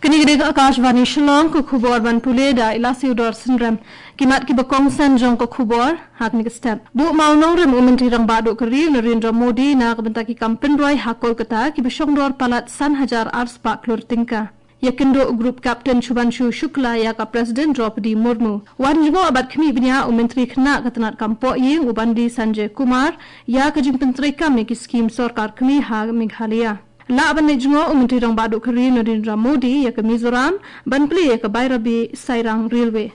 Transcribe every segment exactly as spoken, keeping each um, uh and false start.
Kane ka dei ka Akashvani Shillong, ka khubor ban pule da i Lasiudor Synrem. Ki mat kiba kongsan jong ka khubor ha kane ka step. Buh mawnongrim u Myntri Rangbah Duh ka ri u Narendra Modi na ka bynta ki kam pynroi ha Kolkata kiba shongdor palat san hajar ar spah klur tyngka. Ïakynduh u Group Captain Shubhanshu Shukla ïa ka President Droupadi Murmu. Wan jngoh bad khmih bniah u Myntri Khynnah ka tnat kam pohïing u Bandi Sanjay Kumar ïa ka jingpyntreikam ïa ki skim sorkar kmie ha Meghalaya. Lah ban leit jngoh u Myntri Rangbah Duh ka ri u Narendra Modi ïa ka Mizoram ban plie ïa ka Bairabi Sairang Railway.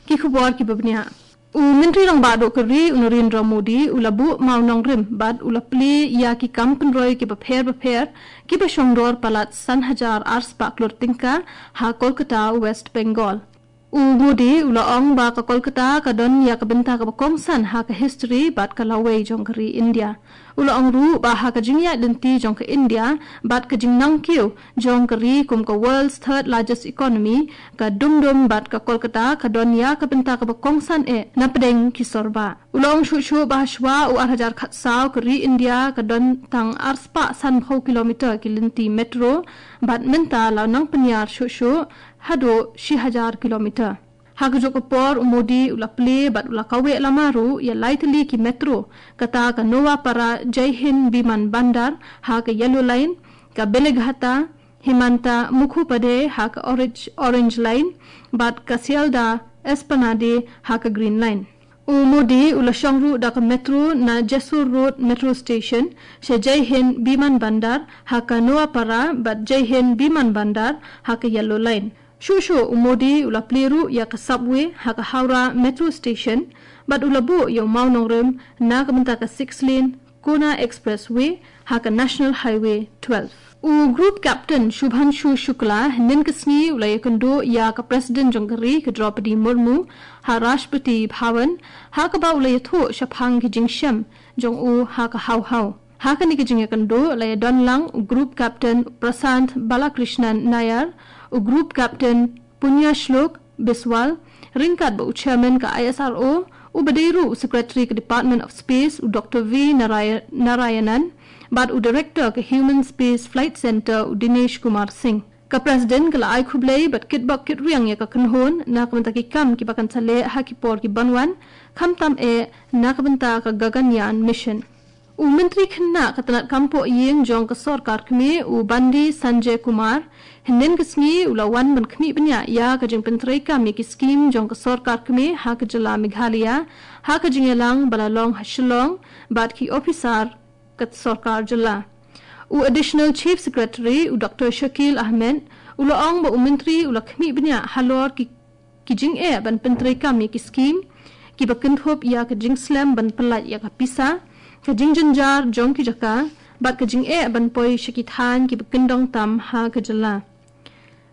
Ki khubor kiba bniah. U Myntri Rangbah Duh ka ri u Narendra Modi u la buh mawnongrim bad u la plie ïa ki kam pynroi kiba pher bapher kiba shongdor palat san hajar ar spah klur tyngka ha Kolkata, West Bengal. U Modi u la ong ba ka Kolkata ka don ïa ka bynta kaba kongsan ha ka history bad ka lawei jong ka ri India. U la ong ruh ba ha ka jingïaid lynti jong ka India bad ka jingnang kiew jong ka ri kum ka world's third largest economy, ka Dum Dum bad ka Kolkata ka don ïa ka bynta kaba kongsan eh na pdeng ki sor bah. U la ong shuh shuh ba hashwa u ar hajar khatsaw ka ri India ka don tang ar spah sanphew kilometer ki lynti metro bad mynta la nang pynïar shuh shuh haduh shi hajar kilometer. Ha kajuh ka por u Modi u la plie bad u la kaweh lama ruh ïa lai tylli ki metro, kata ka Noapara Jai Hind Biman Bandar ha ka Yellow Line, ka Belaghata Himanta Mukhopadhyay ha ka Orange, Orange Line bad ka Sealdah Esplanade ha ka Green Line. U Modi u la shong ruh da ka metro na Jessore Road Metro Station sha Jai Hind Biman Bandar ha ka Noapara bad Jai Hind Biman Bandar ha ka Yellow Line. Shuh shuh u Modi u la plie ruh ïa ka subway ha ka Howrah Metro Station bad u la buh ïa u mawnongrim na ka bynta ka six lane Kona Expressway ha ka National Highway twelve. U Group Captain Shubhanshu Shukla hynnin ka sngi u la ïakynduh ïa ka President jong ka ri ka Droupadi Murmu ha Rashtrapati Bhavan, ha kaba u la ïathuh shaphang ki jingshem jong u ha ka haw haw. Ha kane ka jingïakynduh la ïadon lang u Group Captain Prashant Balakrishnan Nair, u Group Captain Punyashlok Biswal, ryngkat bad u Chairman ka I S R O, uba dei ruh u Secretary ka Department of Space u Doctor V Naraya-, Narayanan, bad u Director ka Human Space Flight Centre u Dinesh Kumar Singh. Ka President ka la ai khublei bad kitbok kitrwiang ïa ka kynhun na ka bynta ki kam kiba kan sa leh ha ki por kiban wan, khamtam eh na ka bynta ka Gaganyaan Mission. U Myntri Khynnah ka tnat kam pohïing jong ka sorkar kmie u Bandi Sanjay Kumar, hynnin ka sngi u la wan ban khmih bniah ïa ka jingpyntreikam ïa ki skim jong ka sorkar kmie ha ka jylla Meghalaya, ha ka jingïalang ba la long ha Shillong bad ki ophisar ka sorkar jylla. U Additional Chief Secretary u Doctor Shakil Ahmed u la ong ba u Myntri u la khmih bniah halor ki ki jingeh ban pyntreikam ïa ki skim kiba kynthup ïa ka jingslem ban pyllait ïa ka pisa, ka jingjynjar jong ki jaka bad ka jingeh ban poi sha ki thaiñ kiba kyndong tam ha ka jylla.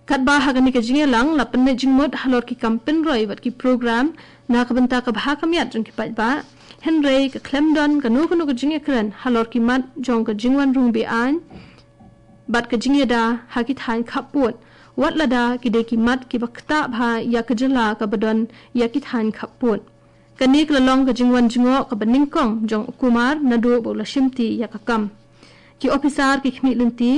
Katba ha kane ka jingïalang la pynneh jingmut halor ki kam pynroi bad ki program na ka bynta ka bha ka miat jong ki paidbah, hynrei ka khlem don kano kano ka jingïakren halor ki mat jong ka jingwan rung be-aiñ bad ka jingïada ha ki thaiñ khappud, wat lada ki dei ki mat kiba ktah bha ïa ka jylla kaba don ïa ki thaiñ khappud. Kane ka la long ka jingwan jngoh kaba nyngkong jong u Kumar naduh ba u la shimti ïa ka kam. Ki ophisar ki khmih lynti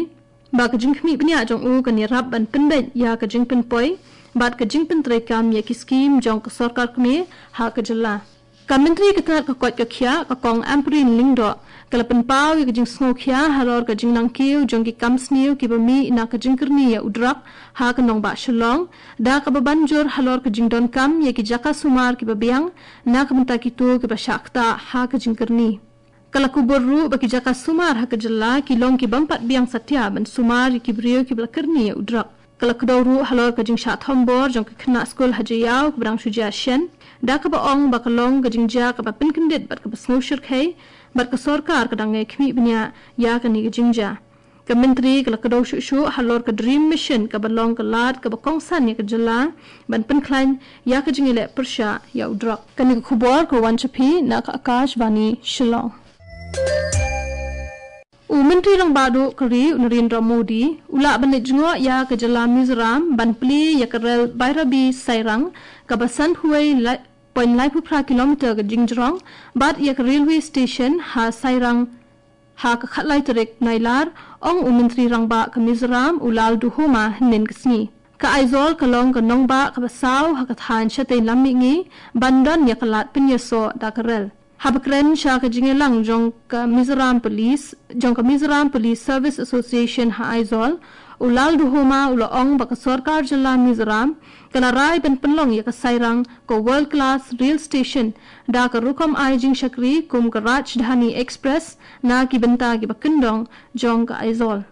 ba ka jingkhmih bniah jong u kan ïarap ban pynbeit ïa ka jingpynpoi bad ka jingpyntreikam ïa ki skim jong ka sorkar kmie ha ka jylla. Ka Myntri ka tnat ka koit ka khiah, ka Kong Ampareen Lyngdoh, ka la pynpaw ïa ka jingsngewkhia halor ka jingnang kiew jong ki kam sniew kiba mih na ka jingkyrni ïa u drok ha ka nongbah Shillong, da kaba ban jur halor ka jingdonkam ïa ki jaka sumar kiba biang na ka bynta kito kiba shah ktah ha ka jingkyrni. Ka la kubur ruh ba ki jaka sumar ha ka jylla ki long ki bym pat biang satia ban sumar ïa ki briew kiba la kyrni ïa u drok. Ka la kdew ruh halor ka jingshah thombor jong ka khynnah skul ha Jaïaw kaba dang shu jia shen, da kaba ong ba ka long ka jingjia kaba pynkyndit bad kaba sngewshyrkhei, bad ka sorkar ka dang ïai khmih bniah ïa kane ka jingjia. Ka Myntri ka la kdew shuh shuh halor ka DREAM Mission kaba long ka lad kaba kongsan ïa ka jylla ban pynkhlaiñ ïa ka jingïaleh pyrshah ïa u drok. Kane ka khubor ka wan sha phi na ka Akashvani Shillong. U Myntri Rangbah Duh ka ri u Narendra Modi u lah ban leit jngoh ïa ka jylla Mizoram ban plie ïa ka rel Bairabi Sairang kaba sanphew wei point laiphew phra kilometer ka jingjrong bad ïa ka railway station ha Sairang Ha ka khatlai tarik Nailar, ong u Myntri Rangbah ka Mizoram, u Lal Duhoma, hynnin ka sngi. Ka Aizawl ka long ka nongbah kaba saw ha ka thaiñ shatei lam mihngi, ban don ïa ka lad pynïasoh da ka rel. Haba kren sha ka jingïalang jong ka Mizoram Police, jong ka Mizoram Police Service Association ha Aizawl, u Lal Duhoma u la ong ba ka sorkar jylla Mizoram ka la rai ban pynlong ïa ka Sairang ka world class rail station da ka rukom ai jingshakri kum ka Rajdhani Express na ki bynta kiba kyndong jong ka Aizawl.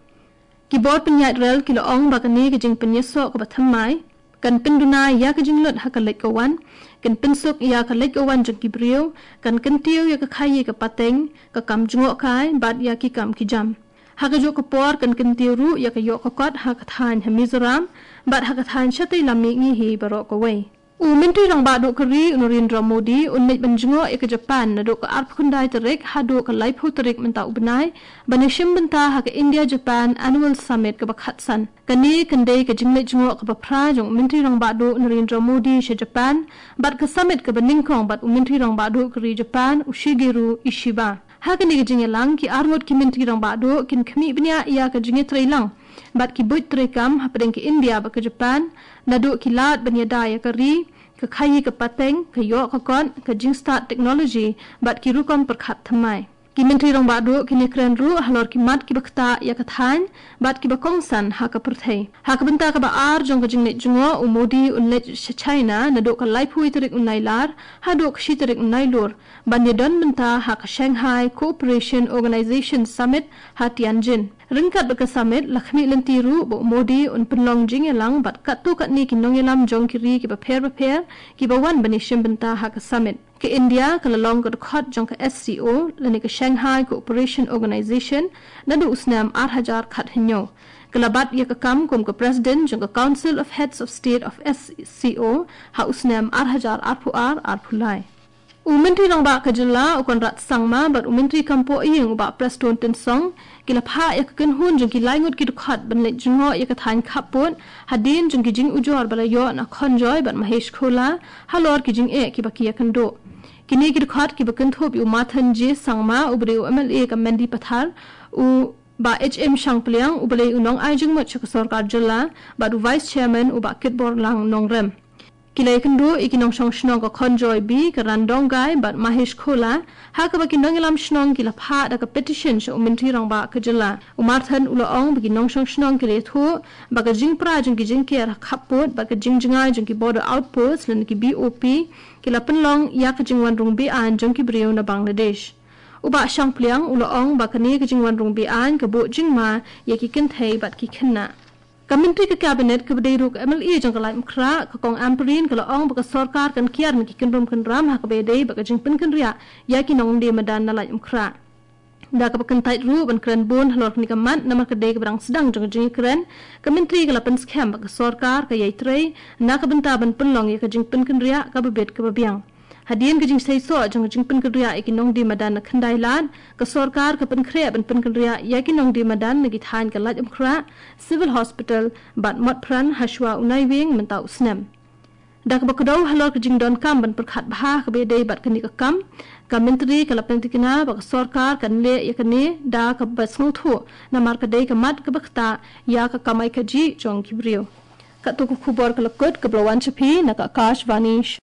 Ki bor pynïaid rel ki la ong ba kane ka jingpynïasoh kaba thymmai kan pynduna ïa ka jinglut ha ka leit ka wan, kan pynsuk ïa ka leit ka wan jong ki briew, kan kyntiew ïa ka khaïi ka pateng, ka kam jngohkai bad ïa ki kam ki jam. Ha kajuh ka por kan kyntiew ruh ïa ka ïoh ka kot ha ka thaiñ ha Mizoram bad ha ka thaiñ shatei lam mihngi hi baroh kawei. U Myntri Rangbah Duh ka ri, u Narendra Modi, un leit ban jngoh ïa ka Japan naduh ka arphew khyndai tarik haduh ka laiphew tarik mynta u bnai, ban ïashim bynta ha ka India Japan Annual Summit kaba khatsan. Kane kan dei ka jingleit jngoh kaba phra jong u Myntri Rangbah Duh Narendra Modi sha Japan bad ka summit kaba nyngkong bad u Myntri Rangbah Duh ka ri Japan, u Shigeru Ishiba. Ha kane ka jingïalang, ki arngut ki Myntri Rangbah Duh kin khmih bniah ïa ka jingïatreilang bad ki buit treikam hapdeng ka India bad ka Japan, naduh ki lad ban ïada ïa ka ri, ka khaïi ka pateng, ka ïoh ka kot, ka jingstad technology bad ki rukom pyrkhat thymmai. Ki Myntri Rangbah Duh kin ïakren ruh halor ki mat kiba ktah ïa ka thaiñ bad kiba kongsan ha ka pyrthei. Ha ka bynta kaba ar jong ka jingleit jngoh, u Modi un leit sha China naduh ka laiphew tarik u Nailar haduh ka shi tarik u Nailur, ban ïadon bynta ha ka Shanghai Cooperation Organization Summit ha Tianjin. Ryngkat bad ka summit, la khmih lynti ruh ba u Modi un pynlong jingïalang bad katto katne ki nongïalam jong ki ri kiba pher bapher kiba wan ban ïashim bynta ha ka summit. Ka India ka la long ka dkhot jong ka S C O lane ka Shanghai Cooperation Organization naduh u snem ar hajar khathynñiew. Ka la bat ïa ka kam kum ka President jong ka Council of Heads of State of S C O ha u snem ar hajar arphew ar arphew lai. U Myntri Rangbah ka jylla, u Conrad Sangma, bad u Myntri Kam Pohïing, u Bah Prestone Tynsong, ki la phah ïa ka kynhun jong ki lai ngut ki dkhot ban leit jngoh ïa ka thaiñ khappud hadien jong ki jingujor ba la ïoh na Khonjoy bad Mahesh Khola halor ki jingeh kiba ki ïakynduh. Kine ki dkhot kiba kynthup ïa u Marthon J Sangma, uba dei u M L A ka Mendipathar, u Bah H M Shangpliang, uba dei u nongai jingmut sha ka sorkar jylla, bad u Vice Chairman, u Bah Kitborlang Nongrem. Ki la ïakynduh ïa ki nongshong shnong ka Khonjoy B, ka Randonggai bad Mahesh Khola, ha kaba ki nongïalam shnong ki la phah da ka petition sha u Myntri Rangbah ka jylla. U Marthon u la ong ba ki nongshong shnong ki la ïathuh ba ka jingpra jong ki jingker ha khappud bad ka jingjngai jong ki border outpost lane ki B O P ki la pynlong ïa ka jingwan rung be-aiñ jong ki briew na Bangladesh. U Bah Shangpliang u la ong ba kane ka jingwan rung be-aiñ ka buh jingma ïa ki kynthei bad ki khynnah. Ka Myntri ka Cabinet kaba dei ruh ka M L A jong ka Laitumkhrah, ka Kong Ampareen, ka la ong ba ka sorkar kan kiar na ki kynrum kynram ha kaba ïadei bad ka jingpynkynriah ïa ki nongdie madan na Laitumkhrah. Da kaba kyntait ruh ban kren bun halor kane ka mat namar ka dei kaba dang sdang jong ka jingïakren, ka Myntri ka la pynskhem ba ka sorkar ka ïai trei na ka bynta ban pynlong ïa ka jingpynkynriah kaba bit kaba biang. Hadien ka jingseisoh jong ka jingpynkynriah ïa ki nongdie madan na Khyndailad, ka sorkar ka pynkhreh ban pynkynriah ïa ki nongdie madan na ki thaiñ ka Laitumkhrah, Civil Hospital bad Motphran hashwa u Naiwieng mynta u snem. Da kaba kdew halor ka jingdonkam ban pyrkhat bha kaba ïadei bad kane ka kam, ka Myntri ka la pynthikna ba ka sorkar kan leh ïa kane da kaba sngewthuh namar ka dei ka mat kaba ktah ïa ka kamai kajih jong ki briew. Katto ka khubor ka la kut, kaba la wan sha phi na ka Akashvani